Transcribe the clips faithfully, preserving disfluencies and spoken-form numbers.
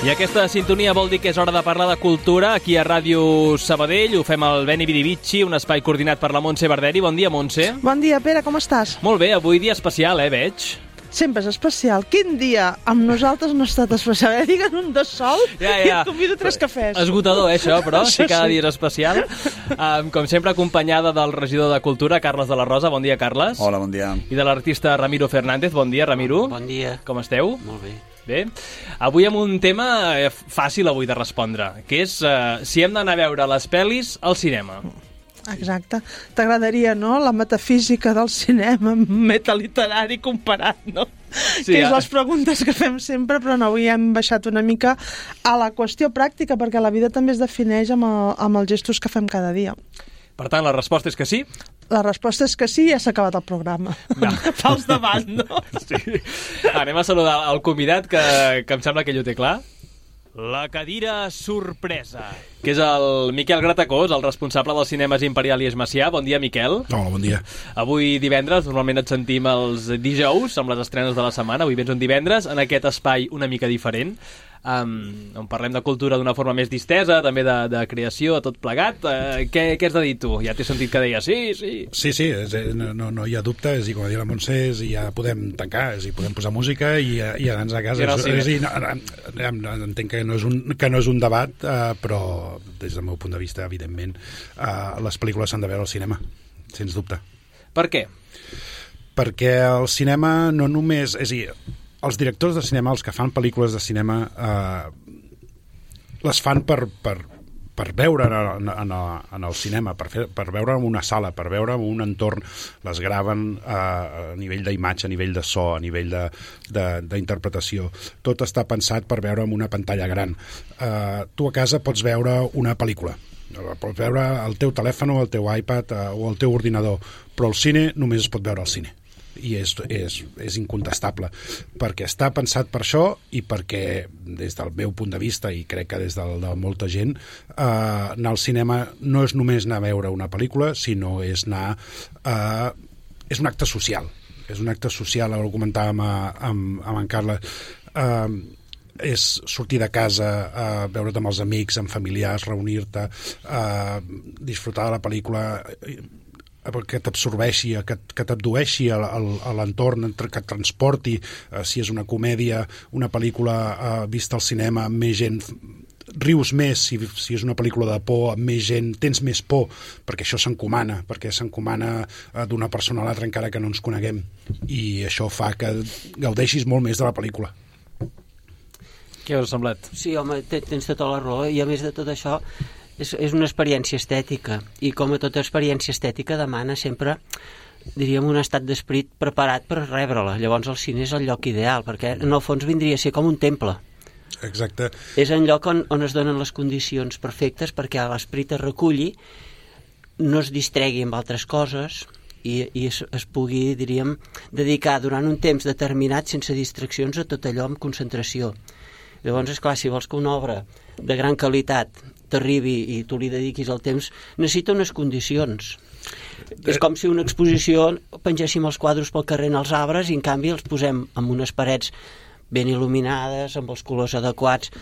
I aquesta sintonia vol dir que és hora de parlar de cultura aquí a Ràdio Sabadell. Ho fem al Beni Vidi Vici, un espai coordinat per la Montse Barderi. Bon dia, Montse. Bon dia, Pere, com estàs? Molt bé, avui dia especial, eh, veig? Sempre és especial. Quin dia amb nosaltres no ha estat especial? Eh? Diguen un de sol ja, ja. I et convido tres cafès. Esgotador, eh, això, però sí, cada dia és especial. Um, com sempre, acompanyada del regidor de Cultura, Carles de la Rosa. Bon dia, Carles. Hola, bon dia. I de l'artista Ramiro Fernández. Bon dia, Ramiro. Bon dia. Com esteu? Molt bé. Bé, avui amb un tema fàcil avui de respondre, que és uh, si hem d'anar a veure les pel·lis al cinema. Exacte. T'agradaria, no?, la metafísica del cinema metaliterari comparat, no? Sí, que és les preguntes que fem sempre, però no, avui hem baixat una mica a la qüestió pràctica, perquè la vida també es defineix amb, el, amb els gestos que fem cada dia. Per tant, la resposta és que sí? La resposta és que sí i ja s'ha acabat el programa. No. Fals davant, no? Sí. Anem a saludar el convidat, que, que em sembla que ell ho té clar. La cadira sorpresa, que és el Miquel Gratacós, el responsable dels cinemes Imperial i Esmacià. Bon dia, Miquel. Hola, bon dia. Avui divendres, normalment et sentim els dijous, amb les estrenes de la setmana. Avui vens un divendres, en aquest espai una mica diferent, um, on parlem de cultura d'una forma més distesa, també de, de creació, tot plegat. Uh, què, què has de dir tu? Ja t'he sentit que deies sí, sí. Sí, sí, és, no, no hi ha dubte, és, i com a dir la Montse, és, i ja podem tancar, és, i podem posar música i, i anar a casa. És, és, i, no, no, entenc que no és un, que no és un debat, uh, però des del meu punt de vista, evidentment, uh, les pel·lícules s'han de veure al cinema, sens dubte. Per què? Perquè el cinema no només... És a dir, els directors de cinema, els que fan pel·lícules de cinema, eh, les fan per, per, per veure en, en, en el cinema, per, fer, per veure en una sala, per veure en un entorn, les graven eh, a nivell d'imatge, a nivell de so, a nivell d'interpretació. Tot està pensat per veure en una pantalla gran. Eh, tu a casa pots veure una pel·lícula, pots veure el teu telèfon o el teu iPad eh, o el teu ordinador, però el cine només es pot veure al cine. I és, és, és incontestable, perquè està pensat per això i perquè, des del meu punt de vista, i crec que des del, de molta gent, eh, anar al cinema no és només anar a veure una pel·lícula, sinó és anar... Eh, és un acte social. És un acte social, ara ho comentàvem amb, amb en Carles, eh, és sortir de casa, eh, veure't amb els amics, amb familiars, reunir-te, eh, disfrutar de la pel·lícula... que t'absorbeixi, que, que t'abdueixi a, a, a l'entorn, que et transporti, eh, si és una comèdia, una pel·lícula eh, vista al cinema amb més gent, rius més, si, si és una pel·lícula de por, amb més gent, tens més por, perquè això s'encomana, perquè s'encomana eh, d'una persona a l'altra encara que no ens coneguem, i això fa que gaudeixis molt més de la pel·lícula. Què us ha semblat? Sí, home, tens tota la raó, i a més de tot això És, és una experiència estètica, i com a tota experiència estètica demana sempre, diríem, un estat d'esperit preparat per rebre-la. Llavors el cine és el lloc ideal, perquè en el fons vindria a ser com un temple. Exacte. És un lloc on, on es donen les condicions perfectes perquè l'esperit es reculli, no es distregui amb altres coses i, i es, es pugui, diríem, dedicar durant un temps determinat sense distraccions a tot allò amb concentració. Llavors, esclar, si vols que una obra de gran qualitat t'arribi i tu li dediquis el temps, necessita unes condicions. És com si una exposició pengéssim els quadres pel carrer en els arbres i en canvi els posem en unes parets ben il·luminades, amb els colors adequats.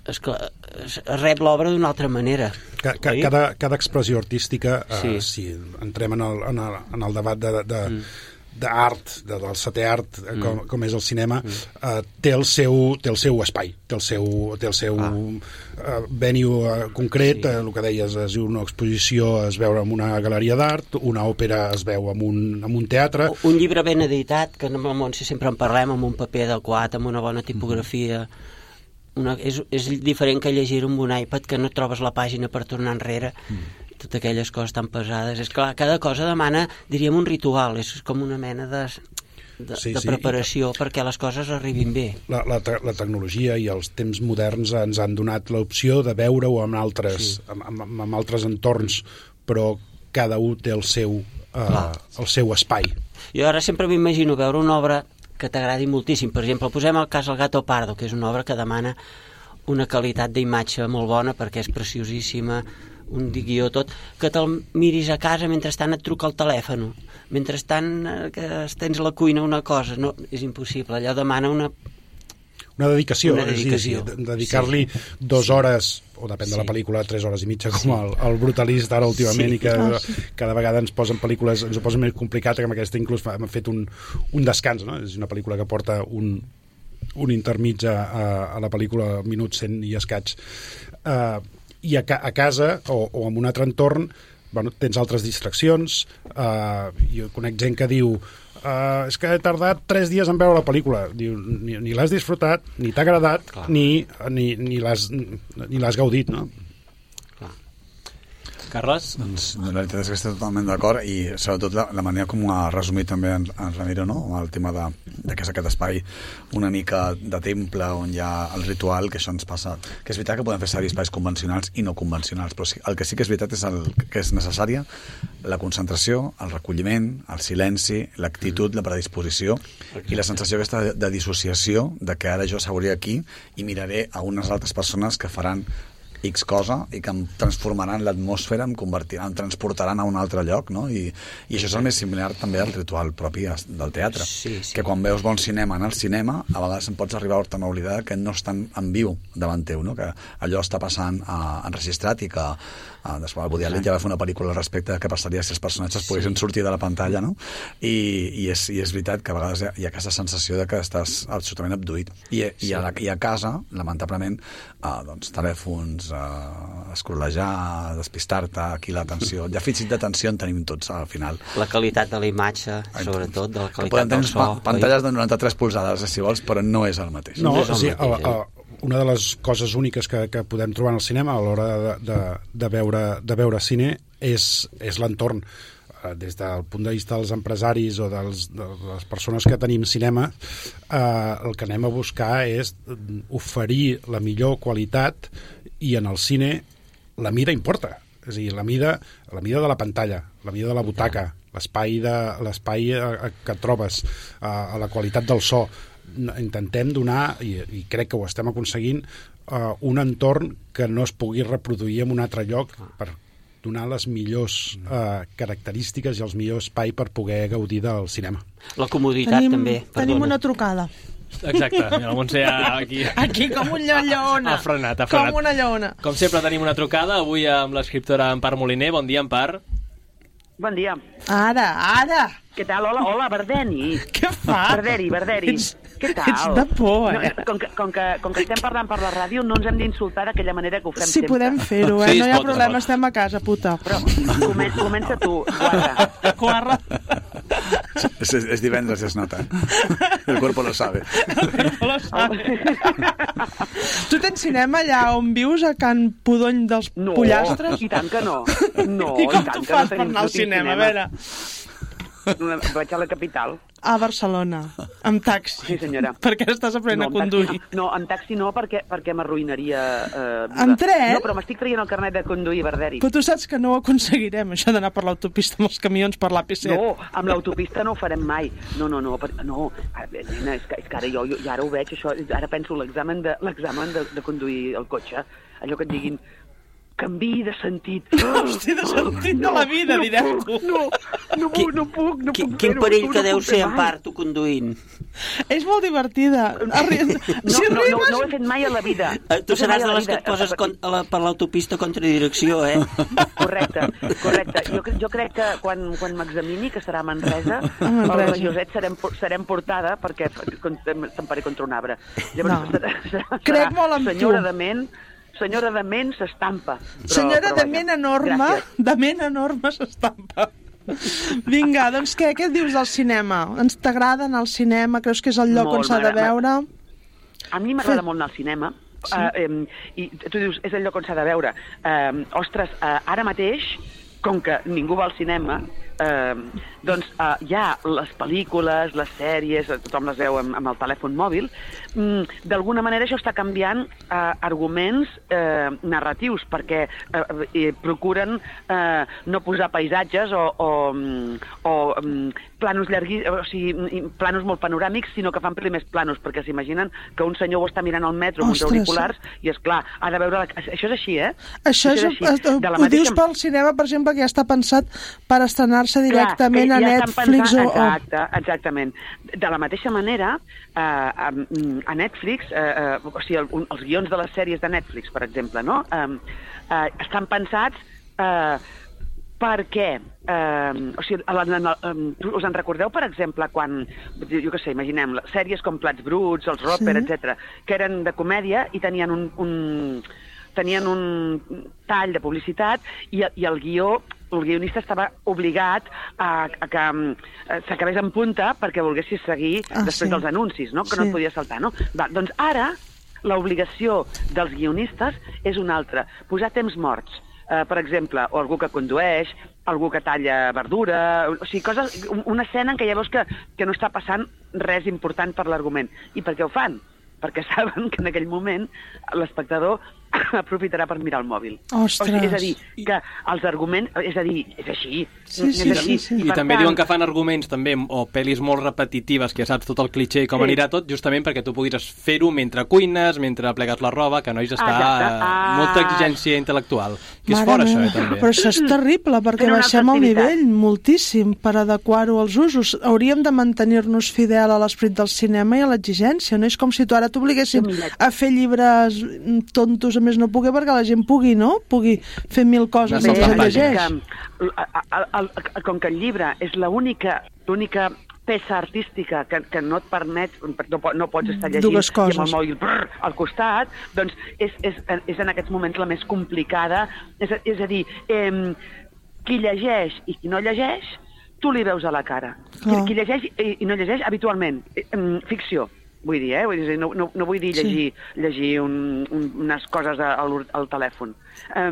Esclar, es rep l'obra d'una altra manera. Cada, cada, cada expressió artística, sí. eh, si entrem en el, en el, en el debat de... de mm. d'art, de, del setè art, mm. com, com és el cinema, mm. eh, té, el seu, té el seu espai, té el seu, té el seu ah. eh, venue eh, concret, sí. eh, el que deies, es diu una exposició es veu en una galeria d'art, una òpera es veu en un, en un teatre... Un llibre ben editat, que amb el Montse sempre en parlem, amb un paper adequat, amb una bona tipografia... Una, és, és diferent que llegir amb un iPad, que no trobes la pàgina per tornar enrere... Mm. Totes aquelles coses tan pesades. És clar, cada cosa demana, diríem, un ritual, és com una mena de, de, sí, de preparació sí. perquè les coses arribin bé. La, la, la tecnologia i els temps moderns ens han donat l'opció de veure-ho en altres, sí. amb, amb, amb altres entorns, però cada un té el seu uh, el seu espai. Jo ara sempre m'imagino veure una obra que t'agradi moltíssim. Per exemple, posem el cas El Gato Pardo, que és una obra que demana una qualitat d'imatge molt bona perquè és preciosíssima, un guió tot, que te'l miris a casa mentrestant et truca el telèfon, mentrestant que tens a la cuina una cosa, no, és impossible, allò demana una Una dedicació, Una dedicació. És a dir, dedicar-li sí. dues hores, o depèn sí. de la pel·lícula, tres hores i mitja, com sí. el, el Brutalista ara últimament, sí. i que oh, sí. cada vegada ens posen pel·lícules, ens ho posen més complicat, que amb aquesta inclús hem fet un, un descans, no? És una pel·lícula que porta un, un intermig a, a la pel·lícula, minut cent i escaig. Uh, I a, ca, a casa, o, o en un altre entorn, bueno, tens altres distraccions. Uh, jo conec gent que diu Uh, és que he tardat tres dies en veure la pel·lícula. Diu, ni, ni l'has disfrutat, ni t'ha agradat, Clar. ni, ni, ni l'has ni l'has gaudit, no? Carles? Doncs la veritat és que estic totalment d'acord, i sobretot la, la manera com ha resumit també en, en Ramiro, no? El tema de, de que és aquest espai una mica de temple on hi ha el ritual, que això ens passa, que és veritat que podem fer servir espais convencionals i no convencionals, però sí, el que sí que és veritat és el, que és necessària la concentració, el recolliment, el silenci, l'actitud, la predisposició i la sensació aquesta de, de dissociació de que ara jo seuré aquí i miraré a unes altres persones que faran X cosa i que em transformaran l'atmosfera, em convertiran, em transportaran a un altre lloc, no? I, i això és el més similar també al ritual propi del teatre, sí, sí. que quan veus bon cinema en el cinema, a vegades em pots arribar a oblidar que no estan en viu davant teu, no? Que allò està passant uh, enregistrat i que uh, després el Woody Allen ja va fer una pel·lícula al respecte de què passaria si els personatges sí. poguessin sortir de la pantalla, no? I, i, és, i és veritat que a vegades hi ha aquesta sensació de que estàs absolutament abduït. I, sí. i, a, la, i a casa, lamentablement, uh, doncs, telèfons, Uh, escrolejar, despistar-te, aquí l'atenció, dèficit d'atenció en tenim tots al final. La qualitat de la imatge, sobretot, de la qualitat del so. Pa pantalles de noranta-tres polzades, si vols, però no és el mateix. No, no és el sí, mateix, a, a, una de les coses úniques que, que podem trobar en el cinema a l'hora de, de, de, veure, de veure cine és, és l'entorn. Des del punt de vista dels empresaris o dels, de les persones que tenim cinema, eh, el que anem a buscar és oferir la millor qualitat, i en el cine la mida importa, és a dir, la mida, la mida de la pantalla, la mida de la butaca, l'espai de l'espai que trobes, a la qualitat del so. Intentem donar, i, i crec que ho estem aconseguint, uh, un entorn que no es pugui reproduir en un altre lloc per donar les millors uh, característiques i els millors espai per poder gaudir del cinema. La comoditat tenim, també. Perdona. Tenim una trucada. Exacte, mira, el Montse aquí... Aquí com un lleona. Ha frenat, ha frenat. Com una lleona. Com sempre tenim una trucada, avui amb l'escriptora Empar Moliner. Bon dia, Empar. Bon dia. Ara, ara. Què tal? Hola, hola, Bardeni. Què fa? Barderi, Barderi. Ets, Què tal? ets de por, eh? No, com, que, com, que, com que estem parlant per la ràdio, no ens hem d'insultar d'aquella manera que ho fem si sempre. Si podem fer-ho, eh? Sí, no hi ha pot, problema, pot. estem a casa, puta. Però comen, comença tu, guarda. Guarra. És, és divendres, ja es nota. El cuerpo lo sabe. El cuerpo lo sabe. Tu tens cinema allà on vius, a Can Pudony dels no, Pollastres? i tant que no. No, I com i tant tu que fas no per anar al cinema? cinema? A veure... Una, vaig a la capital. A Barcelona, amb taxi. Sí, senyora. Per què estàs aprenent no, a conduir? No, no, en taxi no, perquè, perquè m'arruïnaria... Eh, en tren? No, però m'estic traient el carnet de conduir, Barderi. Però tu saps que no ho aconseguirem, això d'anar per l'autopista amb els camions per l'A P set. No, amb l'autopista no ho farem mai. No, no, no, per, no. Nena, és que, és que ara jo, jo ja ara ho veig, això, ara penso l'examen de, l'examen de, de conduir el cotxe, allò que et diguin... canvi de sentit. Hosti, de sentit no, de la vida, no direm puc, tu. No, no puc, no puc, no Quin, puc quin perill no que deu ser, mai. en part, tu conduint. És molt divertida. Arri... No, si no, rimes... no, no ho he fet mai a la vida. Tu no seràs de les que et poses con, a la, per l'autopista contra direcció, eh? Correcte, correcte. Jo, jo crec que quan, quan m'examini, que serà a Manresa, Manresa. el Joset serem, serem portada perquè t'emparé contra un arbre. Llavors, no. serà, serà, crec molt amb senyora tu. de ment, senyora de ment s'estampa. Senyora però, de ment enorme, gràcies. De ment enorme s'estampa. Vinga, doncs què, què dius del cinema? Ens t'agrada anar al cinema? Creus que és el lloc molt, on s'ha de veure? A mi m'agrada molt anar al cinema. Sí. Uh, um, I tu dius, és el lloc on s'ha de veure. Uh, ostres, uh, ara mateix com que ningú va al cinema, eh, doncs eh, hi ha les pel·lícules, les sèries, tothom les veu amb, amb el telèfon mòbil, mm, d'alguna manera això està canviant eh, arguments eh, narratius, perquè eh, eh, procuren eh, no posar paisatges o, o, o planos llarguis, o sigui, planos molt panoràmics, sinó que fan primers planos, perquè s'imaginen que un senyor ho està mirant al metro amb uns auriculars, i és clar, ha de veure... La... Això és així, eh? Això, això és, és així. Ho mateixa... dius pel cinema, per exemple, que ja està pensat per estrenar-se directament Clar, a ja Netflix pensant, o... Exacte, exactament. De la mateixa manera, eh, a Netflix, eh, eh, o sigui, el, els guions de les sèries de Netflix, per exemple, no? Eh, eh, estan pensats eh, perquè, eh, o sigui, en, en, en, us en recordeu, per exemple, quan, jo què sé, imaginem, sèries com Plats Bruts, els Roper, sí. etcètera, que eren de comèdia i tenien un, un, tenien un tall de publicitat i, i el guió, el guionista estava obligat a, a que eh, s'acabés en punta perquè volguessis seguir ah, després sí. dels anuncis, no? Que sí. no et podia saltar, no? Va, doncs ara l'obligació dels guionistes és una altra, posar temps morts. Uh, per exemple, o algú que condueix, algú que talla verdura, o sigui, coses, una escena en què ja veus que, que no està passant res important per l'argument. I per què ho fan? Perquè saben que en aquell moment l'espectador aprofitarà per mirar el mòbil. Ostres! O sigui, és a dir, que els arguments... És a dir, és així. Sí, sí, és així. sí, sí. I, I també tant... diuen que fan arguments també, o pel·lis molt repetitives, que ja saps tot el cliché i com sí. anirà tot, justament perquè tu puguis fer-ho mentre cuines, mentre plegues la roba, que nois està ah, molta exigència intel·lectual. Que és fora, això, eh, també. Però això és terrible, perquè baixem el nivell moltíssim per adequar-ho als usos. Hauríem de mantenir-nos fidel a l'esperit del cinema i a l'exigència, no? És com si tu ara t'obliguessin a fer llibres tontos, a més no pugui, perquè la gent pugui, no? Pugui fer mil coses no, que llegeix. Que, el, el, el, com que el llibre és l'única l'única peça artística que, que no et permet, no, no pots estar llegint Dues coses. i amb el mòbil brrr, al costat, doncs és, és, és en aquests moments la més complicada. És, és a dir, eh, qui llegeix i qui no llegeix, tu li veus a la cara. Qui, qui llegeix i, i no llegeix habitualment, eh, ficció. Vull dir, eh? Vull dir, no, no, no vull dir llegir, sí. llegir un, un, unes coses al, al telèfon. Eh,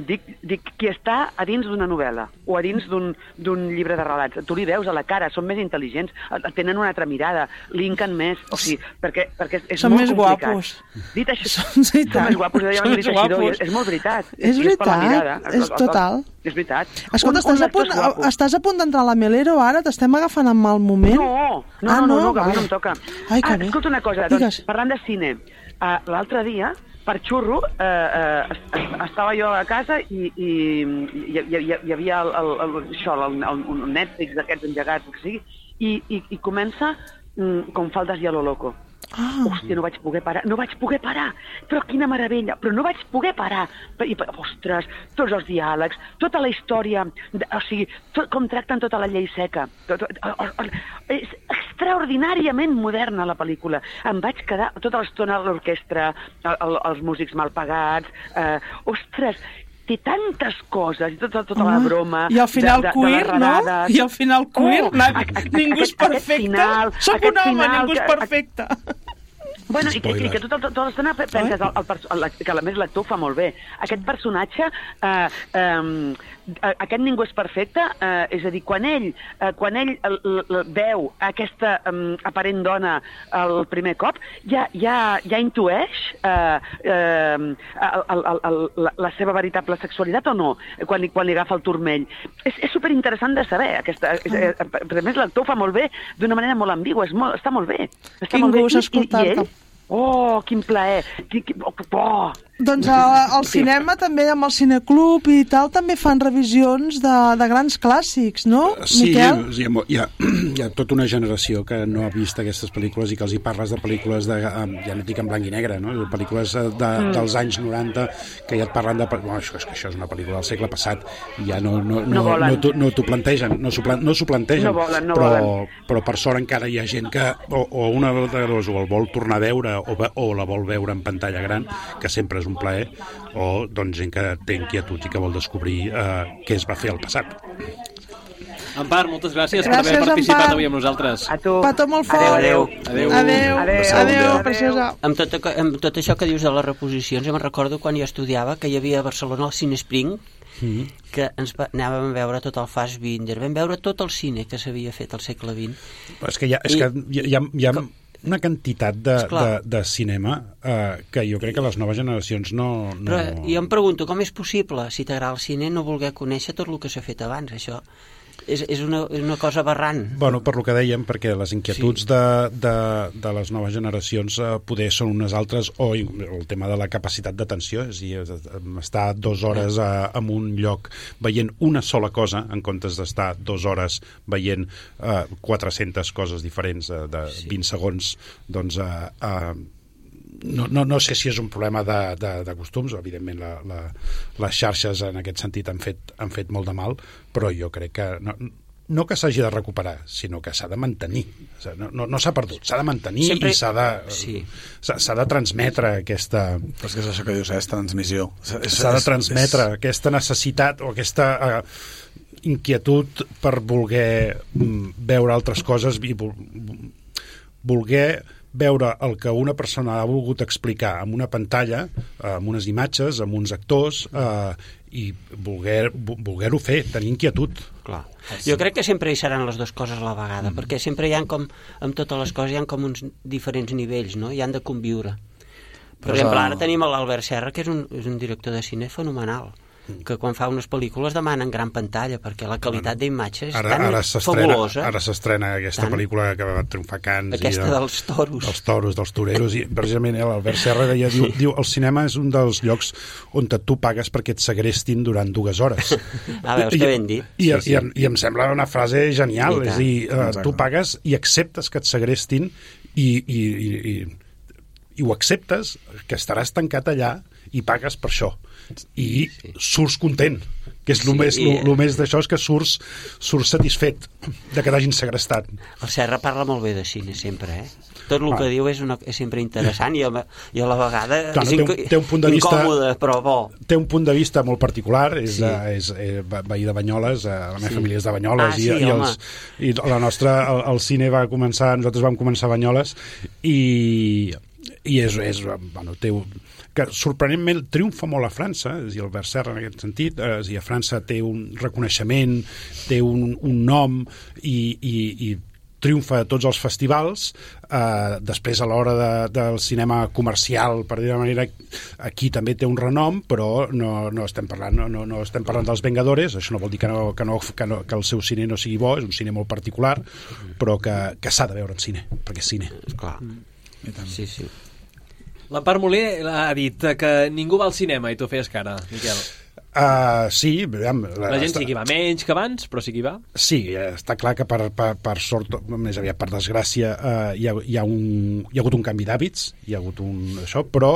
dic, dic qui està a dins d'una novel·la o a dins d'un llibre de relats. Tu li veus a la cara, són més intel·ligents, tenen una altra mirada, linken més, o sigui, perquè, perquè és són molt més complicat. Guapos. Dit això, són, sí, són més guapos. Són més guapos. És molt veritat. És veritat, és total. És veritat. Escolta, estàs, a punt, estàs a punt d'entrar a la Melero ara? T'estem agafant en mal moment? No, no, ah, no, no, no, que avui no em toca. Ai, ah, bé. Escolta una cosa, doncs, parlant de cine, uh, l'altre dia, per xurro, uh, uh, estava jo a casa i, i hi, hi, hi havia el, el, el, això, el, el, el Netflix d'aquests engegats, que sigui, i, i, i comença mm, com faldes i a lo loco. Ah. Hòstia, no vaig poder parar, no vaig poder parar, però quina meravella, però no vaig poder parar. I, ostres, tots els diàlegs, tota la història, o sigui, tot, com tracten tota la llei seca. Tot, tot, és extraordinàriament moderna la pel·lícula. Em vaig quedar tota l'estona a l'orquestra, el, els músics mal pagats, eh, ostres, té tantes coses, i tota, tota la broma... I al final de, de, queer, de no? I al final queer, oh, a, a, a, ningú és perfecte. Soc un home, ningú és perfecte. Bueno, i que, i que tota, tota l'estona penses, el, el, el, que a més l'actor fa molt bé. Aquest personatge, eh, eh, aquest ningú és perfecte, eh, és a dir, quan ell, eh, quan ell el, el, veu aquesta eh, aparent dona el primer cop, ja, ja, ja intueix eh, eh, el, el, el, la, la seva veritable sexualitat o no, quan li, quan li agafa el turmell. És, és superinteressant de saber. Aquesta, és, eh, a més, l'actor ho fa molt bé, d'una manera molt ambigua, és molt, està molt bé. Està Quin molt gust bé. escoltar-te. Oh, quin plaer! Oh. Doncs al cinema també, amb el cineclub i tal, també fan revisions de, de grans clàssics, no, sí, Miquel? Sí, hi ha, hi ha tota una generació que no ha vist aquestes pel·lícules i que els hi parles de pel·lícules, de, ja no dic en blanc i negre, no? De pel·lícules de, mm. dels anys noranta, que ja et parlen de... Bueno, això, és que això és una pel·lícula del segle passat, i ja no, no, no, no, no, no t'ho plantegen, no s'ho no plantegen, no volen, no però, volen. però per sort encara hi ha gent que o, o una de dos o el vol tornar a veure o, o la vol veure en pantalla gran, que sempre és un plaer, o doncs gent que té inquietuds i que vol descobrir eh, què es va fer al passat. Empar, moltes gràcies, gràcies per haver participat Empar. avui amb nosaltres. A tu. Petó molt fort. Adéu. Adéu. Adéu. Adéu. Adéu, preciosa. Amb tot, amb tot això que dius de les reposicions, em recordo quan jo estudiava que hi havia a Barcelona el Cine Spring, mm. que ens va, anàvem a veure tot el Fassbinder, vam veure tot el cine que s'havia fet al segle vint. És que hi ha, és I, que hi ha, hi ha com, una quantitat de, de, de cinema eh, que jo crec que les noves generacions no... no... Però jo em pregunto, com és possible, si t'agrada el cine, no voler conèixer tot el que s'ha fet abans? Això és, és, una, és una cosa aberrant. Bueno, per lo que dèiem, perquè les inquietuds sí. de, de, de les noves generacions eh, poder són unes altres, o el tema de la capacitat d'atenció, és a dir, estar dues hores a, en un lloc veient una sola cosa, en comptes d'estar dues hores veient eh, quatre-centes coses diferents de, de sí. vint segons, doncs... Eh, eh, No, no, no sé si és un problema de, de, de costums, evidentment la, la, les xarxes en aquest sentit han fet, han fet molt de mal, però jo crec que no, no que s'hagi de recuperar, sinó que s'ha de mantenir. No, no, no s'ha perdut, s'ha de mantenir Sempre... i s'ha de, sí. s'ha de transmetre aquesta... Però és que és això que dius, és transmissió. S'ha de transmetre és... aquesta necessitat o aquesta... Eh, inquietud per voler veure altres coses i voler veure el que una persona ha volgut explicar amb una pantalla, amb unes imatges, amb uns actors, eh, i voler, voler-ho fer, tenir inquietud. Clar. Jo crec que sempre hi seran les dues coses a la vegada, mm. perquè sempre hi ha com, amb totes les coses, hi ha com uns diferents nivells, no? I han de conviure. Per Però exemple, ara tenim l'Albert Serra, que és un, és un director de cine fenomenal, que quan fa unes pel·lícules demanen gran pantalla perquè la qualitat d'imatge és ara, tan ara fabulosa. Ara s'estrena aquesta tant. pel·lícula que va triomfar Cans. Aquesta i de, dels toros. Dels toros, dels toreros. I precisament l'Albert Serra deia, diu, diu, el cinema és un dels llocs on tu pagues perquè et segrestin durant dues hores. Ah, veus que ben dit. I, sí, sí. I, i em sembla una frase genial. És a dir, uh, tu pagues i acceptes que et segrestin i, i, i, i, i ho acceptes, que estaràs tancat allà i pagues per això. I sí. surts content, que és el sí, més, i... lo, lo més d'això és que surts, surts satisfet de que t'hagin segrestat. El Serra parla molt bé de cine sempre, eh? Tot el ah. que diu és, una, és sempre interessant i a, i a la vegada Clar, és té un, té un punt de vista, incòmode, però bo. Té un punt de vista molt particular, és, sí. uh, és uh, veí de Banyoles, uh, la meva sí. família és de Banyoles, ah, i, sí, i, els, i la nostra, el, el cine va començar, nosaltres vam començar a Banyoles, i, i és, és bueno, té un que sorprenentment triomfa molt a França, és a dir, Albert Serra en aquest sentit, és a dir, a França té un reconeixement, té un, un nom i, i, i triomfa a tots els festivals. Eh, després, a l'hora de, del cinema comercial, per dir-ho d'una manera, aquí també té un renom, però no, no, estem parlant, no, no, no estem parlant dels Vengadores, això no vol dir que, no, que, no, que, no, que el seu cine no sigui bo, és un cine molt particular, però que, que s'ha de veure en cine, perquè és cine. Clar. Sí, sí. L'Empar Moler ha dit que ningú va al cinema i tu feies cara, Miquel. Uh, sí, la, la gent està... sí que hi va menys que abans, però sí que hi va. Sí, està clar que per, per, per sort, més aviat per desgràcia, uh, hi, ha, hi, ha un, hi ha hagut un canvi d'hàbits, hi ha hagut un això, però,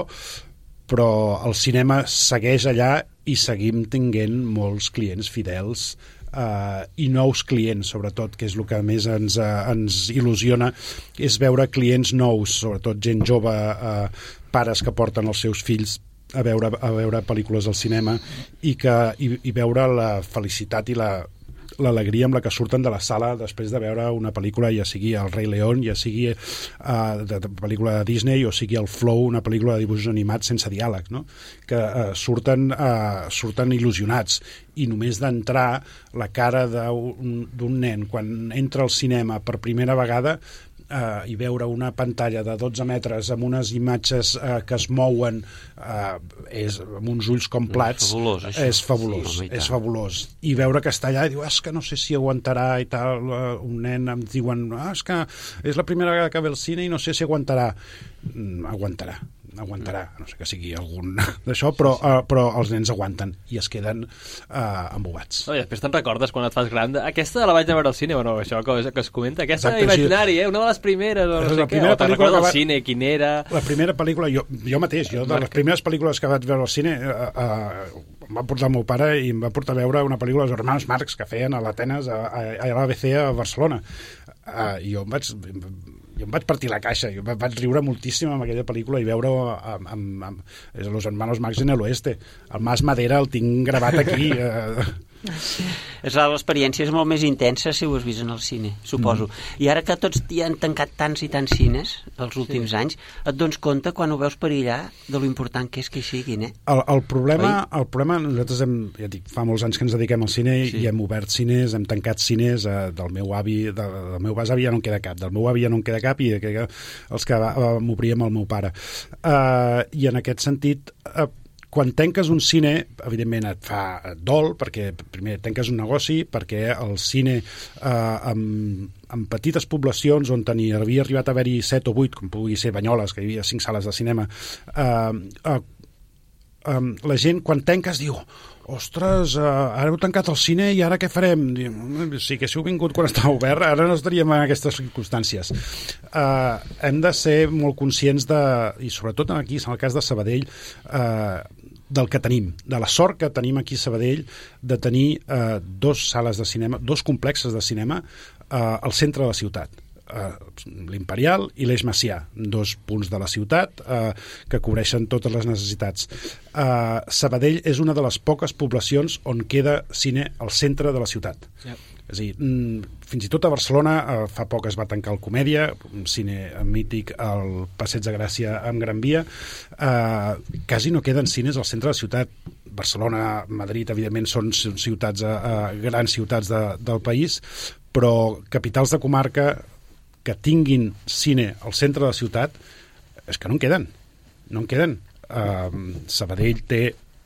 però el cinema segueix allà i seguim tenint molts clients fidels Uh, i nous clients, sobretot, que és el que més ens, uh, ens il·lusiona, és veure clients nous, sobretot gent jove, uh, pares que porten els seus fills a veure, a veure pel·lícules al cinema i, que, i, i veure la felicitat i la l'alegria amb la que surten de la sala després de veure una pel·lícula, ja sigui El Rei León, ja sigui uh, de, de pel·lícula de Disney, o sigui El Flow, una pel·lícula de dibuixos animats sense diàleg, no? Que uh, surten, uh, surten il·lusionats, i només d'entrar la cara d'un nen quan entra al cinema per primera vegada Uh, i veure una pantalla de dotze metres amb unes imatges uh, que es mouen uh, és, amb uns ulls com plats, és fabulós, això. és fabulós, sí, és fabulós. I veure que està allà i diu, és que no sé si aguantarà i tal, uh, un nen em diuen, ah, és que és la primera vegada que ve al cine i no sé si aguantarà. Mm, aguantarà aguantarà, no sé que sigui algun d'això, però, uh, però els nens aguanten i es queden uh, embobats. No, i després te'n recordes quan et fas gran, aquesta la vaig a veure al cine, bueno, això que, que es comenta, aquesta Exacte, imaginari, eh? Una de les primeres, o no sé què, o te'n recordes del va... cine, quin era... La primera pel·lícula, jo, jo mateix, jo de les primeres pel·lícules que vaig veure al cine, uh, uh, em va portar el meu pare i em va portar a veure una pel·lícula dels Hermanos Marx que feien a l'Atenes, a, a, a l'A B C a Barcelona. Uh, i jo em vaig... jo em vaig partir la caixa, jo vaig riure moltíssim amb aquella pel·lícula i veure amb, amb, amb, amb Los Hermanos Marx en el Oeste. El Mas Madera el tinc gravat aquí. Eh, Sí. L'experiència és molt més intensa si ho has vist en el cine, suposo. Mm. I ara que tots hi han tancat tants i tants cines els últims sí. anys, et dones compte quan ho veus perillar de lo important que és que hi siguin, eh? El, el, problema, el problema, nosaltres hem, ja dic, fa molts anys que ens dediquem al cine sí. i hem obert cines, hem tancat cines eh, del meu avi, de, del meu besavi ja no en queda cap, del meu avi ja no en queda cap i que, que, els que m'obríem el meu pare. Uh, I en aquest sentit... Uh, quan tanques un cine, evidentment et fa et dol, perquè primer tanques un negoci, perquè el cine eh, amb, amb petites poblacions on tenia, havia arribat a haver-hi set o vuit, com pugui ser Banyoles, que hi havia cinc sales de cinema, eh, eh, eh, la gent quan tanques diu ostres, uh, ara heu tancat el cine i ara què farem? Si haguéssiu vingut quan estava obert, ara no estaríem en aquestes circumstàncies. Uh, hem de ser molt conscients de, i sobretot aquí, en el cas de Sabadell, uh, del que tenim, de la sort que tenim aquí a Sabadell de tenir uh, dos sales de cinema, dos complexes de cinema uh, al centre de la ciutat. Uh, l'Imperial i l'Eix Macià, dos punts de la ciutat uh, que cobreixen totes les necessitats. Uh, Sabadell és una de les poques poblacions on queda cine al centre de la ciutat. Yep. És a dir, fins i tot a Barcelona uh, fa poc es va tancar el Comèdia, un cine mític al Passeig de Gràcia amb Gran Via. Uh, quasi no queden cines al centre de la ciutat. Barcelona, Madrid, evidentment, són ciutats, uh, grans ciutats de, del país, però capitals de comarca que tinguin cine al centre de la ciutat és que no en queden. No en queden. Uh, Sabadell té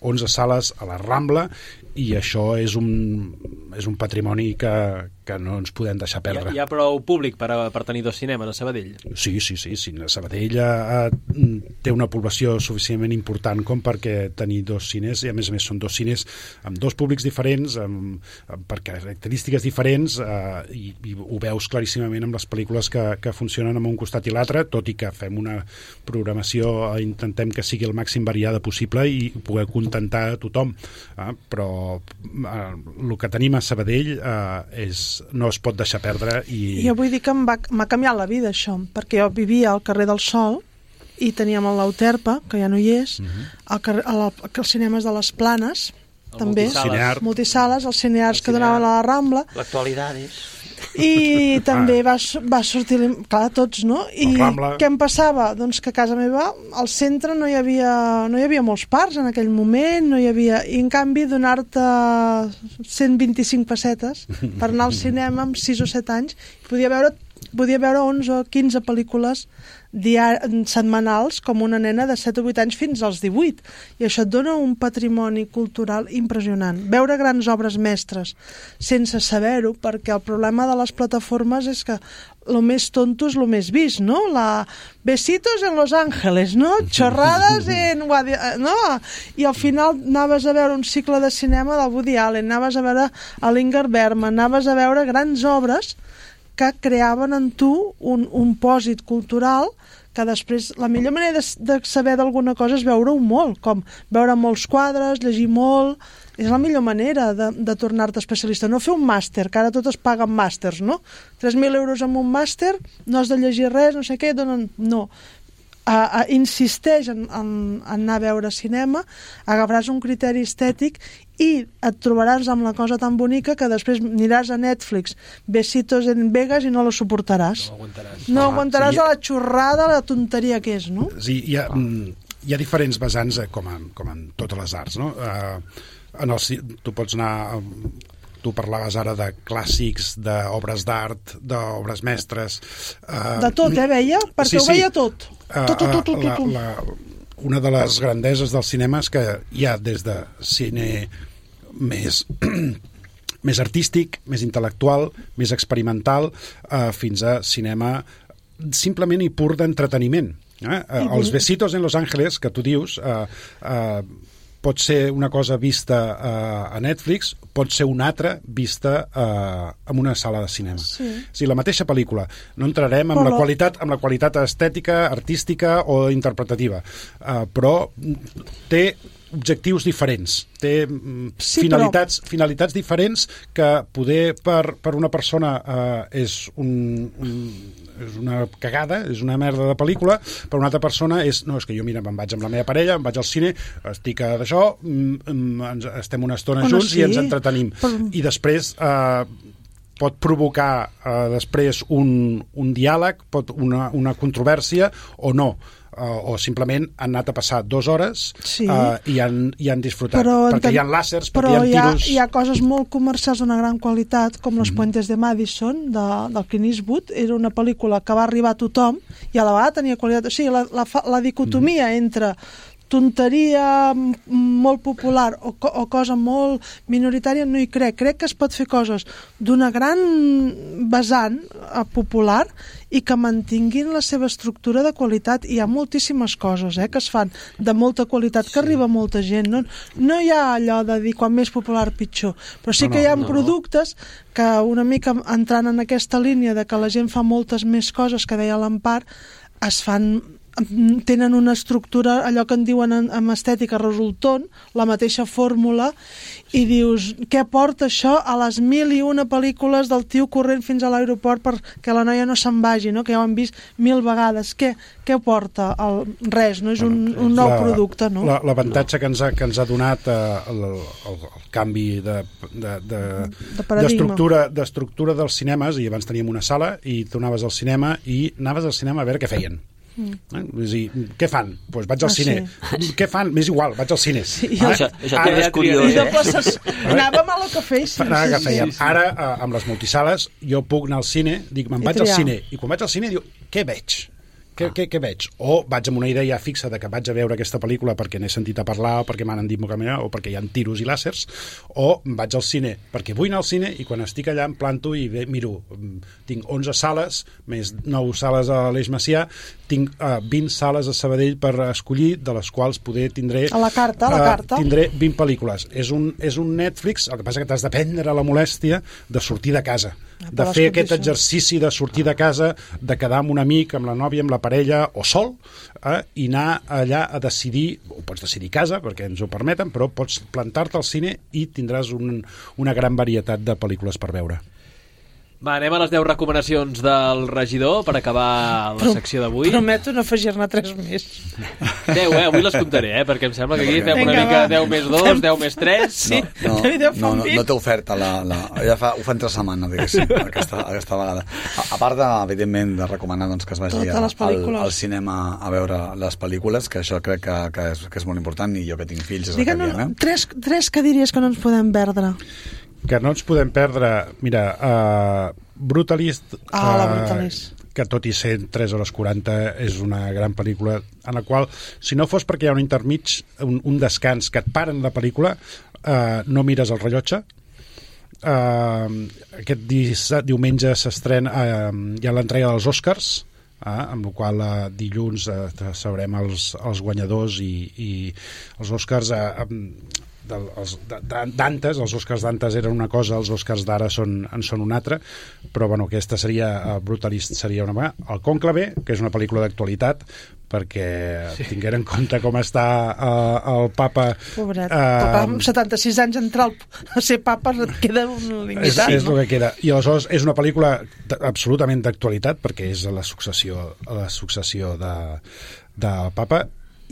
onze sales a la Rambla i això és un, és un patrimoni que, que no ens podem deixar perdre. Hi ha, hi ha prou públic per, a, per tenir dos cinemes a Sabadell? Sí, sí, sí. sí. Sabadell a, a, té una població suficientment important com perquè tenir dos cines, i a més a més són dos cines amb dos públics diferents, amb, amb per característiques diferents, eh, i, i ho veus claríssimament amb les pel·lícules que, que funcionen en un costat i l'altre, tot i que fem una programació, eh, intentem que sigui el màxim variada possible i poder contentar a tothom. Eh, però eh, el que tenim a Sabadell eh, és no es pot deixar perdre i... Jo vull dir que m'ha canviat la vida això, perquè jo vivia al carrer del Sol i teníem l'Euterpa, que ja no hi és, uh-huh. al carrer, al, als cinemes de les Planes, el també, multisales, multisales els cinears el que donaven a la Rambla. L'actualitat és... I també va, va sortir, clar, tots, no? I què em passava? Doncs que a casa meva, al centre, no hi havia, no hi havia molts parcs en aquell moment, no hi havia... I en canvi, donar-te cent vint-i-cinc pessetes per anar al cinema amb sis o set anys, podia veure, podia veure onze o quinze pel·lícules diar setmanals com una nena de set o vuit anys fins als divuit. I això et dona un patrimoni cultural impressionant. Veure grans obres mestres sense saber-ho, perquè el problema de les plataformes és que el més tonto és el més vist, no? La besitos en Los Ángeles, no? Chorrades en... no? I al final anaves a veure un cicle de cinema del Woody Allen, anaves a veure a l'Ingmar Bergman, anaves a veure grans obres que creaven en tu un, un pòsit cultural que després, la millor manera de, de saber d'alguna cosa és veure-ho molt, com veure molts quadres, llegir molt, és la millor manera de, de tornar-te especialista, no fer un màster, que ara tot es paga amb màsters, no? tres mil euros amb un màster, no has de llegir res, no sé què, donen... no. A, a, insisteix en, en, en anar a veure cinema, agafaràs un criteri estètic i et trobaràs amb la cosa tan bonica que després aniràs a Netflix, Besitos en Vegas, i no la suportaràs. No aguantaràs. No aguantaràs sí, a la xorrada, la tonteria que és, no? Sí, hi ha, hi ha diferents vessants, com en, com en totes les arts, no? Uh, en el, tu pots anar... Tu parlaves ara de clàssics, d'obres d'art, d'obres mestres... Uh, de tot, eh, veia? Perquè sí, ho veia tot. Uh, tot, tot, tot, tot, la, tot. La, una de les grandeses del cinema és que hi ha des de cine més, més artístic, més intel·lectual, més experimental, uh, fins a cinema simplement i pur d'entreteniment. Eh? Uh, els Besitos en Los Ángeles, que tu dius... Uh, uh, pot ser una cosa vista uh, a Netflix, pot ser una altra vista uh, en una sala de cinema. Sí. O sigui, la mateixa pel·lícula. No entrarem en, la qualitat, en la qualitat estètica, artística o interpretativa, uh, però té objectius diferents, té Sí, finalitats, però... finalitats diferents que poder per, per una persona eh, és, un, un, és una cagada, és una merda de pel·lícula, per una altra persona és, no, és que jo mira, me'n vaig amb la meva parella, em vaig al cine, estic a d'això, estem una estona Bueno, junts sí, i ens entretenim. però... I després eh, pot provocar eh, després un, un diàleg, pot una, una controvèrsia o no. Uh, o simplement han anat a passar dues hores sí. uh, i, han, i han disfrutat però, perquè hi ha làsers, però perquè hi ha tiros hi ha, hi ha coses molt comercials d'una gran qualitat com Los mm. Puentes de Madison de, del Clint Eastwood, era una pel·lícula que va arribar a tothom i a la vegada tenia qualitat, o sigui, la, la, la dicotomia mm. entre tonteria molt popular o, co o cosa molt minoritària no hi crec. Crec que es pot fer coses d'una gran vessant eh, popular i que mantinguin la seva estructura de qualitat. Hi ha moltíssimes coses eh, que es fan de molta qualitat, que sí. arriba molta gent. No, no hi ha allò de dir quan més popular pitjor, però sí no, que hi ha no, productes que una mica entrant en aquesta línia de que la gent fa moltes més coses que deia l'Empar, es fan tenen una estructura, allò que en diuen en, en estètica resultant, la mateixa fórmula, i dius, què porta això a les mil i una pel·lícules del tio corrent fins a l'aeroport perquè la noia no se'n vagi, no? Que ja ho han vist mil vegades. Què, què porta? El, res, no? És un, un nou la, producte, no? L'avantatge no. que, ens ha, que ens ha donat eh, el, el, el canvi de, de, de, d'estructura de d'estructura dels cinemes, i abans teníem una sala i tu anaves al cinema i anaves al cinema a veure què feien. Mm. Eh? És dir, què fan? Pues vaig al ah, cine. Sí. Què fan? M'és igual, vaig al cine. Sí, ah, això això també és curiós. Eh? Anàvem a lo que fèiem. Sí, Anava sí, que fèiem. Sí, sí. Ara, eh, amb les multisales, jo puc anar al cine, dic, me'n vaig al cine, i quan vaig al cine diu, què veig? Què, ah. què, què veig? O vaig amb una idea fixa de que vaig a veure aquesta pel·lícula perquè n'he sentit a parlar o perquè m'han dit o perquè hi ha tiros i làsers, o vaig al cine perquè vull anar al cine i quan estic allà em planto i bé, miro, tinc onze sales més nou sales a l'Eix Macià, tinc uh, vint sales a Sabadell per escollir, de les quals poder tindré a la carta, a la carta. Uh, tindré vint pel·lícules. És un, és un Netflix, el que passa que t'has de prendre la molèstia de sortir de casa, de fer aquest exercici de sortir de casa, de quedar amb un amic, amb la nòvia, amb la parella o sol, eh, i anar allà a decidir, ho pots decidir a casa perquè ens ho permeten, però pots plantar-te al cine i tindràs un, una gran varietat de pel·lícules per veure. Va, anem a les deu recomanacions del regidor per acabar la secció d'avui. Prometo no afegir-ne tres més. deu, eh? Avui les comptaré, eh? Perquè em sembla que aquí fem una mica deu més dos, deu més tres... Sí, no, no, no, no, no té oferta. La, la, ja fa, ho fa entre setmana, diguéssim, aquesta, aquesta vegada. A, a part, de, evidentment, de recomanar doncs, que es vagi a, al, al cinema a veure les pel·lícules, que això crec que, que, és, que és molt important, i jo que tinc fills és el que diem, eh? Tres, tres que diries que no ens podem perdre. Que no ens podem perdre, mira, uh, Brutalist, ah, la Brutalist. Uh, que tot i ser tres hores quaranta és una gran pel·lícula en la qual, si no fos perquè hi ha un intermig, un, un descans que et paren la pel·lícula, uh, no mires el rellotge. Uh, aquest di diumenge s'estrena, uh, hi ha l'entrega dels Oscars, uh, amb la qual uh, dilluns uh, sabrem els, els guanyadors i, i els Oscars... Uh, um, d'antes, els Oscars d'antes eren una cosa, els Oscars d'ara són, en són una altra, però bueno, aquesta seria, uh, Brutalist seria una vegada. El Cònclave, que és una pel·lícula d'actualitat, perquè sí. tinguera en compte com està uh, el papa... Pobret, uh, papa amb setanta-sis anys entrar a ser papa queda un limitat, és, és no? el que queda. I aleshores és una pel·lícula absolutament d'actualitat, perquè és la successió, la successió de, de papa,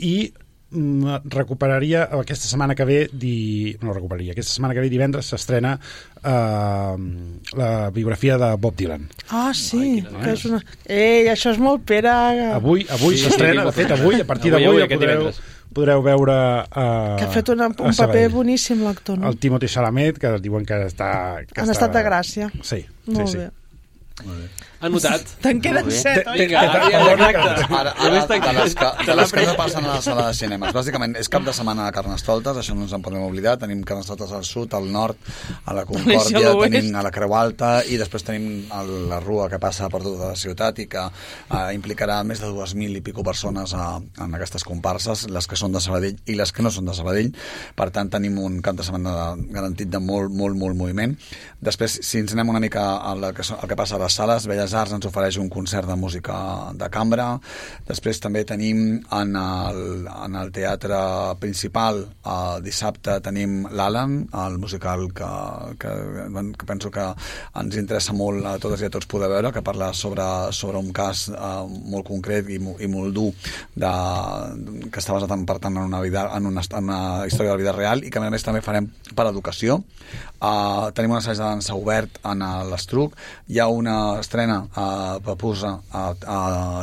i recuperaria aquesta setmana que ve di... no recuperaria, aquesta setmana que ve divendres s'estrena uh, la biografia de Bob Dylan. Ah, sí, Ai, que és una... Ei, això és molt pera. Avui, avui sí, s'estrena, de fet avui, a partir d'avui ja podreu, podreu veure uh, que ha fet una, un paper boníssim l'actor, no? El Timothée Chalamet, que diuen que està... Que Han està... estat de gràcia. Sí, molt sí, bé. sí. Molt bé. Anotat. Te'n queden set, oi? Ara, ara, de les que, de les que no passen a la sala de cinemes. Bàsicament, és cap de setmana de Carnestoltes, això no ens en podem oblidar. Tenim Carnestoltes al sud, al nord, a la Concòrdia, tenim a la Creu Alta, i després tenim el, la rua que passa per tota la ciutat i que eh, implicarà més de dues mil i pico persones a, en aquestes comparses, les que són de Sabadell i les que no són de Sabadell. Per tant, tenim un cap de setmana de, garantit de molt, molt, molt moviment. Després, si ens anem una mica a la que, al que passa a la les sales Belles Arts ens ofereix un concert de música de cambra. Després també tenim en el, en el teatre principal eh, dissabte tenim l'Alan, el musical que, que, que penso que ens interessa molt a totes i a tots poder veure, que parla sobre, sobre un cas eh, molt concret i, i molt dur de, que està basat en, per tant, en una, vida, en, una, en una història de la vida real i que a més també farem per educació. Uh, tenim un assaig de dansa obert en l'Estruc. Hi ha una estrena a uh, Papusa a, a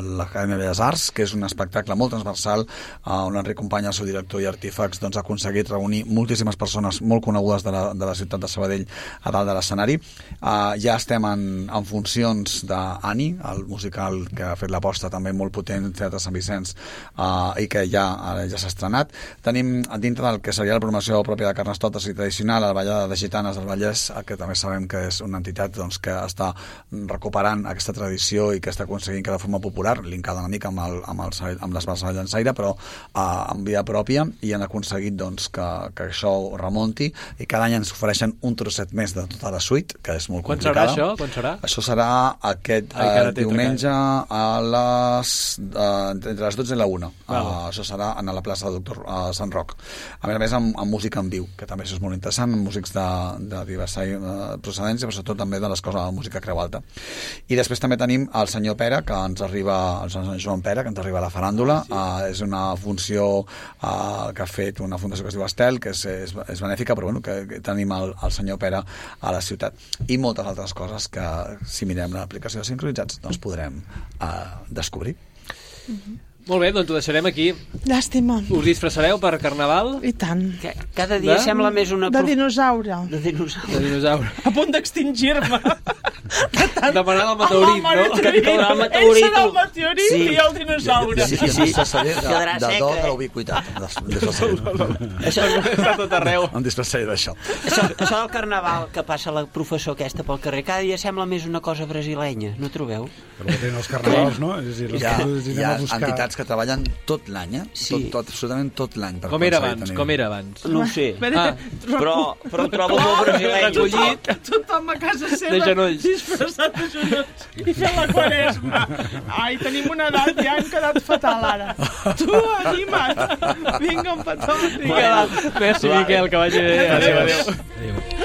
l'Acadèmia de Belles Arts, que és un espectacle molt transversal uh, on l'Enric Company, el seu director i artífex, doncs, ha aconseguit reunir moltíssimes persones molt conegudes de la, de la ciutat de Sabadell a dalt de l'escenari. Uh, ja estem en, en funcions d'Ani, el musical que ha fet l'aposta també molt potent al Teatre Sant Vicenç uh, i que ja, ja s'ha estrenat. Tenim dintre del que seria la programació pròpia de Carnestoltes i tradicional, la Ballada de Gitanes del Vallès, que també sabem que és una entitat doncs, que està recuperant aquesta tradició i que està aconseguint que de forma popular, linkada una mica amb, el, amb, el, amb les bases de llançaire, però uh, amb via pròpia, i han aconseguit doncs, que, que això remonti, i cada any ens ofereixen un trosset més de tota la suite, que és molt Quan complicada. serà això? Quan serà? Això serà aquest Ai, uh, diumenge a les, uh, entre les dotze i la una. Uh, això serà a la plaça del Doctor uh, Sant Roc. A més a més, amb, amb música en viu, que també això és molt interessant, amb músics de, de diversa uh, procedència, però sobretot també de l'escola de música Creu Alta. I després també tenim el senyor Pere, que ens arriba, el senyor Joan Pere, que ens arriba a la faràndula. Ah, sí. uh, és una funció uh, que ha fet una fundació que es diu Estel, que és, és, és benèfica, però bueno, que, que tenim el, el senyor Pere a la ciutat. I moltes altres coses que, si mirem l'aplicació de Sincronitzats, doncs podrem uh, descobrir. Mm-hmm. Molt bé, doncs ho deixarem aquí. Llàstima. Us disfressareu per Carnaval? I tant. Que cada dia De? sembla més una... De dinosaure. De dinosaure. De dinosaure. A punt d'extingir-me. Demanant el meteorit, no? Que caurà el Ell meteorit. serà el meteorit Sí. i el dinosaure. Sí, sí, sí. De, Quedarà de sec, do eh? de l'ubiquitat. Això, Està tot arreu. Em disfressaré d'això. això, això del carnaval que passa la professor aquesta pel carrer, cada dia sembla més una cosa brasilenya, no trobeu? Però que tenen els carnavals, no? És a dir, les Hi ha, coses les hi anem ha a buscar. entitats que treballen tot l'any, eh? Sí. Tot, tot, absolutament tot l'any. per Com era aconseguir abans? tenir- Com era abans? No ho sé. Ah, Però, però ho trobo molt brasileny. Recollit. Tothom a casa seva De genolls. disfressat de genolls i fent la quaresma. Ai, tenim una edat, ja hem quedat fatal ara. Tu, anima't. Vinga, un petó. Vinga, va. Merci, Miquel, que vagi bé. Adéu, adéu. Adéu.